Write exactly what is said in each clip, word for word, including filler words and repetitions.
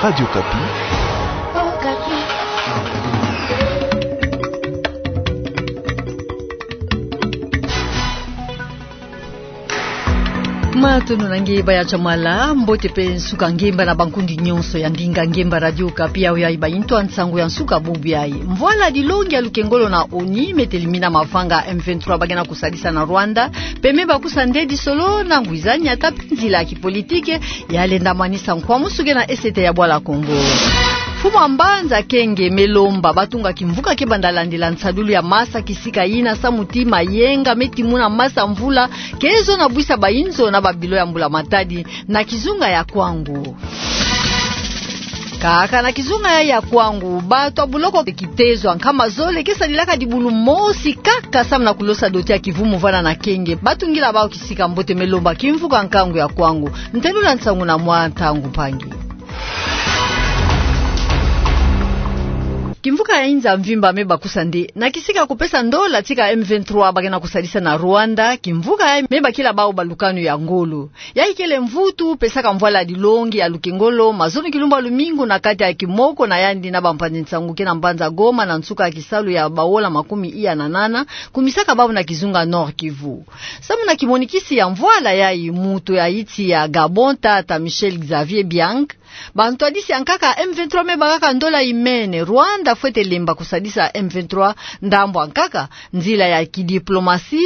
Radio Okapi. Matondo na nge, baya chamala, mbote pe nsuka ngemba na bankundi nyonso ya ndinga ngemba Radio Okapi, yawe yayi ba intu a nsangu ya nsuka bubu yayi. Mvwala dilongi ya lukengolo na ONI me telimina mavanga M vingt-trois ba ke na kusadisa na Rwanda, pe me bakusa nde disolo na ngwizani ata pe nzila ya kipolitike ya lenda manisa nkwamusu ke na esete ya bwala Kongo. Mfumu a mbanza Kenge me lomba batunga kimvuka ke banda landila nsadulu ya masa kisika yina samu ti mayenga me timuna masa mvula ke zo na bwisa bayinzo na babilo ya mbula matadi na kizunga ya Kwangu. Kaka na kizunga ya, ya Kwangu, bato ya buloko kitezo ya nkama zole ke sadilaka dibulu mosi kaka samu na kulosa dote ya kivumu vana na Kenge. Batungila bawu kisika mbote me lomba kimvuka nkangu ya Kwangu. Ntelula nsangu na mwa Ntangu Mpangi. Kimvuka ya inza mvimba me bakusa nde na kisika kupesa ndola tika M vingt-trois ba ke na kusadisa na Rwanda, kimvuka ya me bakila bawu balukanu ya ngolo. Yayi kele mvutu pesaka mvwala dilongi ya lukengolo mazono kilumbu ya lumingu na kati ya kimoko na yandi na bampangi nsangu ke na mbanza Goma na nsuka ya kisalu ya baola makumi iya na nana, kumisaka bawu na kizunga Nord-Kivu. Samu na kimonikisi ya mvwala yayi, moto ya insi ya Gabon, tata Michel Xavier Biang, bantwadisi ya nkaka M vingt-trois me bakaka ndola imene. Rwanda fwete lemba kusadisa M vingt-trois ndambu ya nkaka, nzila ya kidiplomasi,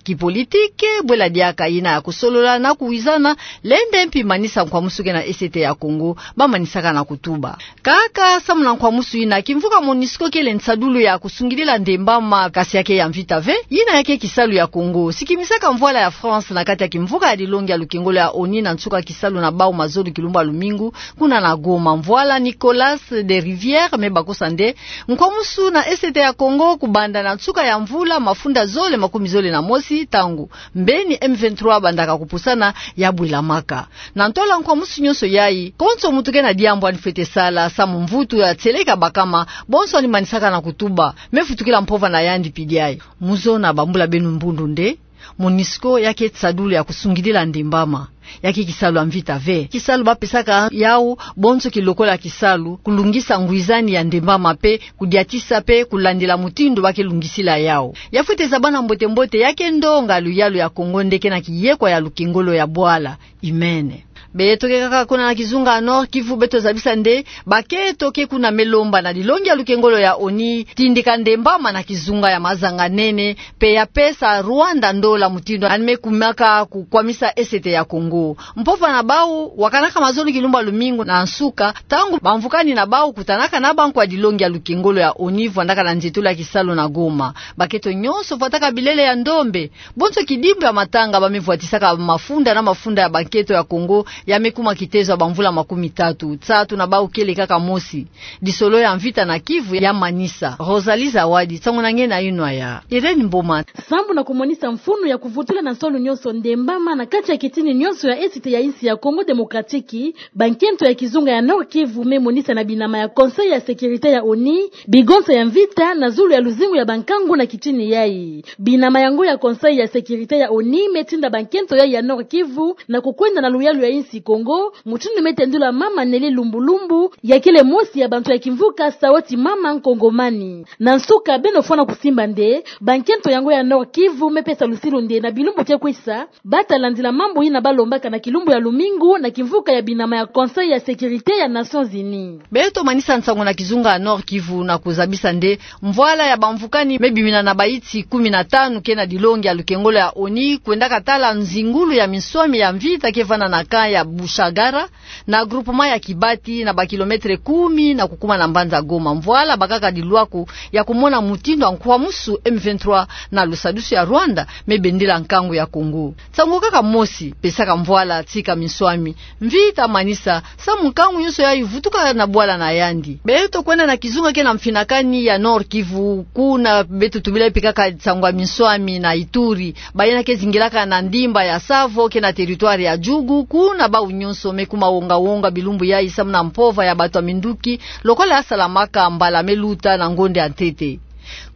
kipolitike, bwela diaka yina ya kusolola na kuwizana, lenda mpi manisa nkwamusu ke na esete ya Kongo ba manisaka na kutuba. Kaka samu na nkwamusu yina, kimvuka MONUSCO kele nsadulu ya kusungidila ndembama, kasi ya ke ya mvita ve, yina ya ke kisalu ya Kongo. Sikimisaka mvwala ya France na kati ya kimvuka ya dilongi ya lukengolo ya ONI na nsuka kisalu na bawu mazono kilumbu ya lumingu, kuna na Goma. Mvwala Nicolas de Rivière me bakusa nde nkwamusu na esete ya Kongo kubanda na nsuka ya mvula mafunda zole makumi zole na mosi, ntangu mbeni M vingt-trois bandaka kupusana ya bwilamaka. Na ntola nkwamusu nyonso yayi, konso moto ke na diambu ani fwete sala samu mvutu ya tieleka bakama, bonso ani manisaka na kutuba, me futukila mpova na yandi pidi yayi. Muzona bambula beno mbundu nde MONUSCO ya ke nsadulu ya kusungidila ndembama. Ya ke kisalu ya mvita ve. Kisalu ba pesaka yawu bonso kilokola kisalu kulungisa ngwizani ya ndembama pe kudiatisa pe kulandila mutindu ba ke lungisila yawu. Ya fwete zabana mbote-mbote, ya ke ndonga luyalu ya Kongo nde ke na kiyekwa ya lukengolo ya bwala imene. Beto ke kaka kuna na kizunga Nord-Kivu, beto zabisa nde bakento ke kuna me lomba na dilongi ya lukengolo ya ONI tindika ndembama na kizunga ya mazanga-nene, pe ya pesa Rwanda ndola mutindu ani me kumaka kukwamisa esete ya Kongo. Mpova na bawu wakanaka mazono kilumbu ya lumingu na nsuka, ntangu bamvukani na bawu kutanaka na bankwa dilongi ya lukengolo ya ONI vwandaka na nzietolo ya kisalu na Goma. Bakento nyonso vwataka bilele ya ndombe. Bonso kidimbu ya matanga ba me vwatisaka mafunda na mafunda ya bakento ya Kongo ya me kuma kitezo ya bamvula makumi tatu. Nsatu na bawu kele kaka mosi. Disolo ya mvita na Kivu ya manisa. Rosalie Zawadi, nsangu na nge na yinwa ya Irène Mboma. Sambu na kumonisa mfunu ya kuvutula na nsolo nyonso ndembama na kati ya kitini nyonso ya esete ya insi ya Congo Démocratique, bankento ya kizunga ya Nord-Kivu me monisa na binama ya Conseil ya Sécurité ya ONI bigonsa ya mvita na zulu ya luzingu ya bankangu na kitini yayi. Binama yango ya Conseil ya Sécurité ya ONI me tinda bankento yayi ya Nord-Kivu na kukwenda na luyalu ya insi Congo, mutindu me tendula mama Nelly Lumbu Lumbu, ya kele mosi ya bantu ya kimvuka Sauti Mama Nkongomani. Na nsuka, beno fwana kusimba nde bankento yango ya Nord-Kivu me pesa lusilu nde na bilumbu ke kwisa, ba ta landila mambu yina ba lombaka na kilumbu ya lumingu na kimvuka ya binama ya Conseil ya Sécurité ya Nations Unies. Beto manisa nsangu na kizunga ya Nord-Kivu na kuzabisa nde mvwala ya bamvukani me bimina na bainsi kumi na tanu ke na dilongi ya lukengolo ya ONI kwendaka tala nzingulu ya minswami ya mvita ke vanda na camp ya Bushagara, na groupement ya Kibati, na bakilometre kumi na kukuma na mbanza Goma. Mvwala bakaka dilwaku ya kumona mutindu ya nkwamusu M vingt-trois na lusadusu ya Rwanda me bendila nkangu ya Congo. Nsangu kaka mosi pesaka mvwala tika minswami mvita manisa, samu nkangu nyonso yayi vutuka na bwala na yandi. Beto kwenda na kizunga ke na mfinakani ya Nord-Kivu, kuna beto tubila mpe kaka nsangu ya minswami na Ituri. Bayina ke zingilaka na ndimba ya Tsavo ke na territoire ya Djugu, kuna bawu nyonso me kuma wonga-wonga bilumbu yayi samu na mpova ya bato ya minduki, lokola ya salamaka mbala me luta na ngonda ya ntete.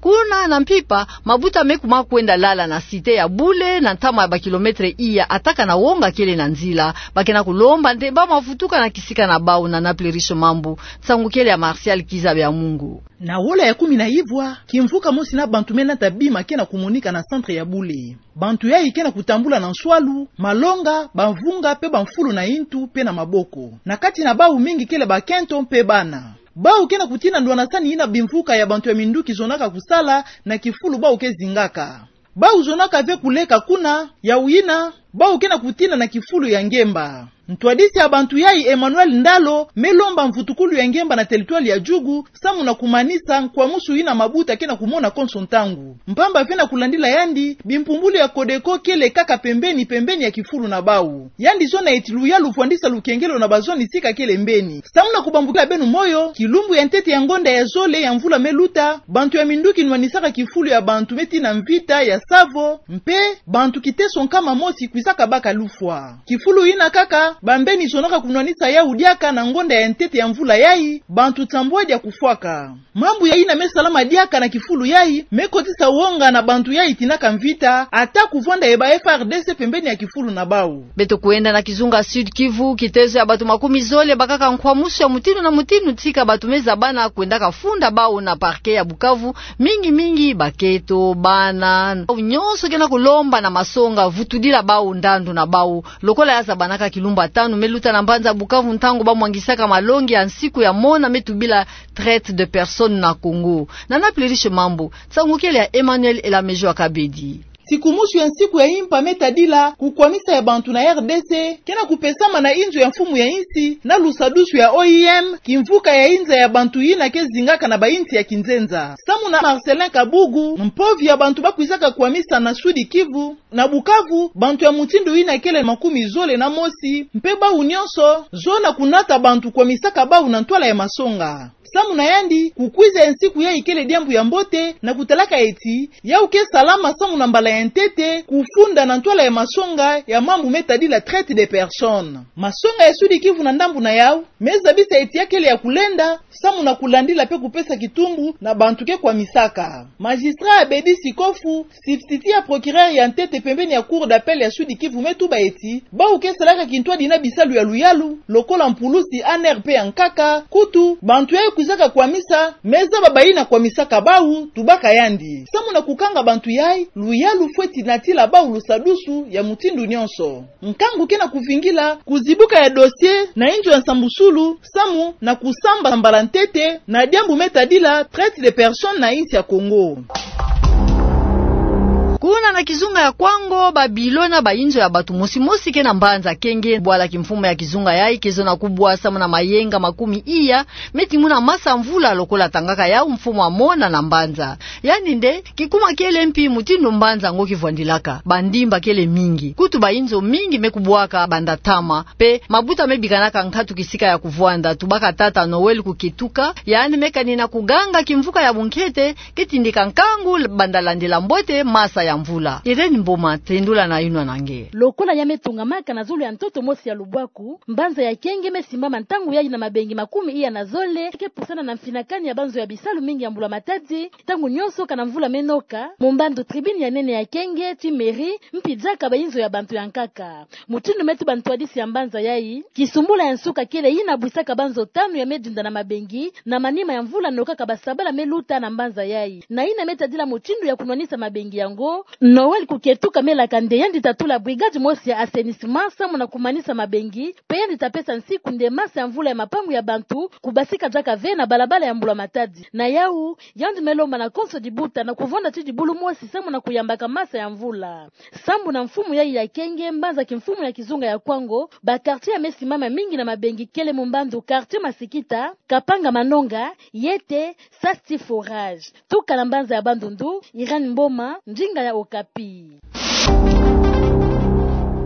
Kuna na mpimpa, mabuta me kuma kwenda lala na cité ya Bule, na ntama ya ba kilomètre iya, ataka na wonga kele na nzila. Ba ke na kulomba nde ba mavutuka na kisika na bau. Nana Pluriche Mambu, nsangu kele ya Martial Kiza Bya Mungu. Na wola ya kumi na ivwa, kimvuka mosi na bantu me nata bima ke na kumonika na centre ya Bule. Bantu yayi ke na kutambula na nswalu, malonga, bamvunga, mpe bamfulu na intu, mpe na maboko. Na kati na bau mingi kele bakento mpe bana. Bau ke na kutina ndwanasani yina bimvuka ya bantu ya minduki zonaka kusala na kifulu bau ke zingaka. Bau zonaka ve kuleka kuna, yawu yina, bau ke na kutina na kifulu ya ngemba. Ntwadisi ya bantu yayi Emmanuel Ndalo me lomba mvutukulu ya ngemba na territoire ya Djugu, samu na kumanisa nkwamusu yina mabuta ke na kumona konso ntangu. Mpamba ve na kulandila yandi, bimpumbulu ya Codeco kele kaka pembeni, pembeni ya kifulu na bau. Yandi zona eti luyalu vwandisa lukengelo na bazoni sika kele mbeni. Samu na kubambukila beno moyo, kilumbu ya ntete ya ngonda ya zole ya mvula me luta, bantu ya minduki nwanisaka kifulu ya bantu me tina Mvita ya Savo, mpe bantu kiteso nkama mosi kwisaka baka lufwa. Kifulu yina kaka, bambeni zonaka kunwanisa yawu diaka na ngonda ya ntete ya mvula yayi, bantu nsambwadi ya kufwaka. Mambu yayina me salama diaka na kifulu yayi, me kotisa wonga na bantu yayi tinaka Mvita, ata kuvwanda ye ba F A R D C pembeni ya kifulu na bau. Beto kwenda na kizunga Sud-Kivu, kitezo ya bantu makumi zole bakaka nkwamusu ya mutindu na mutindu tika bantu me zabana kwendaka funda bau na parquet ya Bukavu, mingi mingi bakento, bana, bau nyonso ke na kulomba na masonga vutudila bau ndandu na bau. Lokola ya zabanaka kilumbu ya tanu me luta na mbanza Bukavu ntangu ba mwangisaka malongi ya nsiku ya mona me tubila traite de personnes na Congo. Nana Pluriche Mambu, nsangu kele ya Emmanuel Elamejo Akabedi. Sikumusu ya nsiku ya impa me tadila kukwamisa ya bantu na R D C, ke na kupesama na inzo ya mfumu ya insi, na lusadusu ya O I M, kimvuka ya inza ya bantu yina ke zingaka na ba insi ya kinzenza. Samu na Marcelin Kabugu, mpovi ya bantu ba kwizaka kwamisa na Sud-Kivu, na Bukavu, bantu ya mutindu yina kele makumi zole na mosi, mpe bau nyonso zona kunata bantu kwamisaka bau na ntwala ya masonga. Samu na yandi, kukwiza ya nsiku yayi kele diambu ya mbote, na kutalaka eti, yawu ke salama samu na mbala ya ntete, kufunda na ntwala ya masonga ya mambu me tadila traite de personnes. Masonga ya Sud-Kivu na ndambu na yawu, me zabisa eti ya kele ya kulenda, samu na kulandila mpe kupesa kitumbu na bantu ke kwamisaka. Magistrat Abedi Sikofu, substitut ya procureur ya ntete pembeni ya Cour d'appel ya Sud-Kivu me tuba eti, bau ke salaka kintwadi na bisalu ya luyalu, lokola mpulusi, A N R mpe ya nkaka, kutu, bantu yayi kwizaka kwamisa, me zaba bayina kwamisaka bau, tubaka yandi. Samu na kukanga bantu yayi, luyalu fweti natila bau lusadusu ya mutindu nyonso. Nkangu ke na kuvingila kuzibuka ya dossier na inzo ya nsambusulu, samu na kusamba mbala ntete na diambu me tadila traite de personnes na insi ya Congo. Kuna na kizunga ya Kwango, ba bilo na ba inzo ya bantu mosi mosi ke na mbanza Kenge, bwala kimfumu ya kizunga yayi ke zona kubwa samu na mayenga makumi iya, me timuna masa mvula lokola tangaka yawu mfumu amona na mbanza. Yandi nde, kikuma kele mpi mutindu mbanza ngo kivwandilaka. Ba ndimba kele mingi. Kutu ba inzo mingi me kubwaka banda ntama. Mpe mabuta me bikanaka nkatu kisika ya kuvwanda, tubaka tata Noël Kuketuka, yandi me kanina kuganga kimvuka ya bunkete, ke tindika nkangu banda landila mbote masa ya mvula. Irène Mboma, tendula na yinwa na nge. Lokola ya me tungamaka na zulu ya ntoto mosi ya lubwaku, mbanza ya Kenge me simbama ntangu yayi na mabengi makumi iya na zole, ke pusana na mfinakani ya banzo ya bisalu mingi ya mbula matadi, ntangu nyonso kana mvula me noka, mu mbandu tribune ya nene ya Kenge, tii mairie, mpi diaka ba inzo ya bantu ya nkaka. Mutindu me tuba ntwadisi ya mbanza yayi, kisumbula ya nsuka kele yina bwisaka banzo tanu ya me dinda na mabengi, na manima ya mvula nokaka ba sabala me luta na mbanza yayi. Na yina me tadila mutindu ya kunwanisa mabengi yango, Noël Kuketuka me laka nde yandi ta tula brigade mosi ya assainissement samu na kumanisa mabengi, mpe yandi ta pesa nsiku nde masa ya mvula ya mapangu ya bantu kubasika diaka ve na balabala ya mbula matadi. Na yawu, yandi me lomba na konso dibuta na kuvonda tii dibulu mosi samu na kuyambaka masa ya mvula. Sambu na mfumu yayi ya Kenge, mbanza kimfumu ya kizunga ya Kwango, ba quartier ya me simama mingi na mabengi kele mu mbandu quartier Masikita, Kapanga Manonga, Yete, Sasti Forage. Tuka na mbanza ya Bandundu, Irène Mboma, ndinga ya Okapi.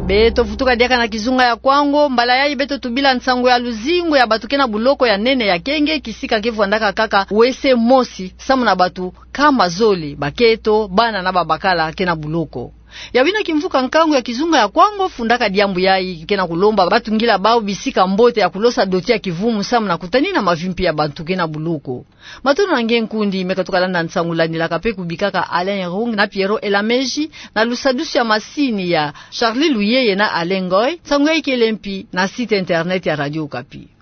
Beto vutuka diaka na kizunga ya Kwango, mbala yayi beto tubila nsangu ya luzingu ya bantu ke na buloko ya nene ya Kenge, kisika ke vwandaka kaka wese mosi, samu na bantu nkama zole, bakento, bana na babakala ke na buloko. Ya wina kimvuka nkangu ya kizunga ya Kwango fundaka diambu yayi, ke na kulomba batungila bau bisika mbote ya kulosa doti ya kivumu samu na kutanina mavimpi ya bantu ke na buloko. Matondo na nge nkundi meka tuka landa nsangu landilaka pe kubikaka Alain Rung na Pierrot Elameji, na lusadusu ya masini ya Charlie Luyeye na Alain Ngoy. Nsangu yayi kele mpi na site internet ya Radio Okapi.